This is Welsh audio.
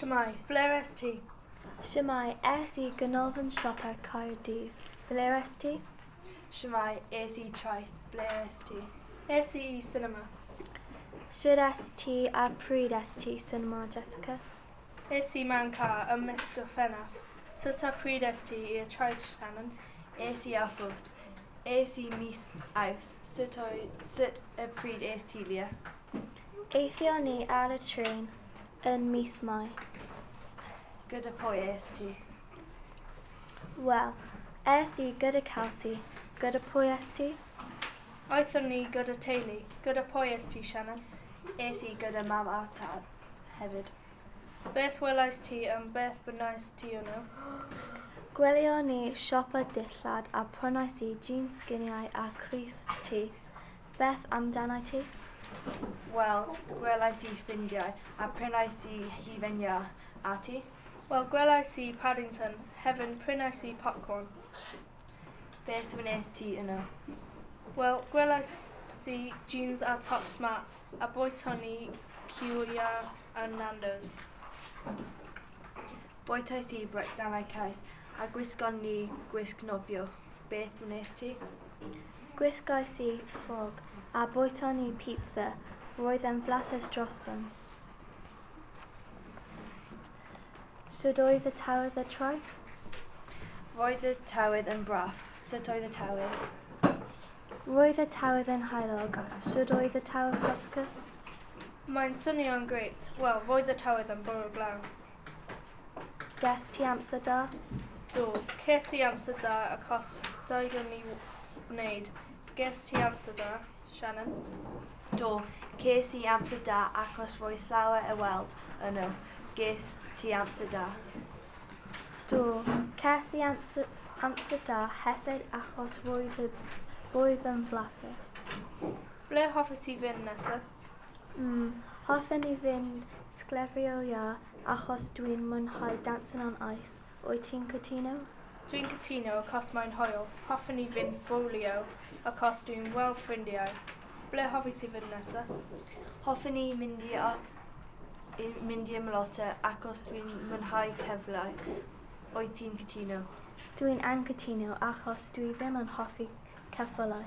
Shwmae, ble est ti? Shwmae, es i Ganolfan Siopa Caerdydd. Ble est ti? Shwmae, es i traeth. Ble est ti? Es i i cinema. Shwd est ti a pryd est ti cinema, Jessica? Es i mewn car ym mis Gorffennaf. Sut a pryd est ti i'r traeth, Shannon? Es i â fws. Es i mis Awst. Sut y pryd es ti, Leah? Aethon ni ar y trên yn mis Mai. Gyda pwy es ti? Wel, es i gyda Kelsey. Gyda pwy es ti? Aethon ni gyda teulu. Gyda pwy es ti, Shannon? Es i gyda mam a tad hefyd. Beth welais ti yn beth bynnais ti yno? Gwelion ni siopa dillad a prynais i jeans sginiau a crys T. Beth amdanat ti? Wel, gwelais i ffrindiau a prynais i hufen iâ. A ti? Wel, gwelais i Paddington. Hefyd prynais i popcorn. Beth wnes ti yno? Wel, gwelais i jeans a top smart a bwyton ni cyw iâr a Nando's. Bwytais i brechdanau caws a gwisgon ni gwisg nofio. Beth wnes ti? Gwisgais i ffrog a bwyton ni pizza. Roedd e'n flasus dros ben. Sut oedd y tywydd y traeth? Roedd y tywydd yn braf. Sut oedd y tywydd? Roedd y tywydd yn heulog. Sut oedd y tywydd, Jessica? Mae'n swnio'n grêt. Wel, roedd y tywydd yn bwrw glaw. Ges ti amser da? Do, ces i amser da achos digon i wneud. Ges ti amser da, Shannon? Do, ces i amser da achos roedd llawer i weld yno. Ges ti amser da? Do, ces i amser da hefyd achos roedd y bwyd yn flasus. Ble hoffet ti fynd nesaf? Hoffen i fynd sglefrio iâ achos dwi'n mwynhau Dancing on Ice. Wyt ti'n cytuno? Dwi'n cytuno achos mae'n hwyl. Hoffen i fynd bowlio achos dwi'n weld ffrindiau. Ble hoffet ti fynd nesaf? Hoffen i mynd i ymlota achos dwi'n mwynhau ceffylau. Wyt ti'n cytuno? Dwi'n anghytuno achos dwi ddim yn hoffi ceffylau.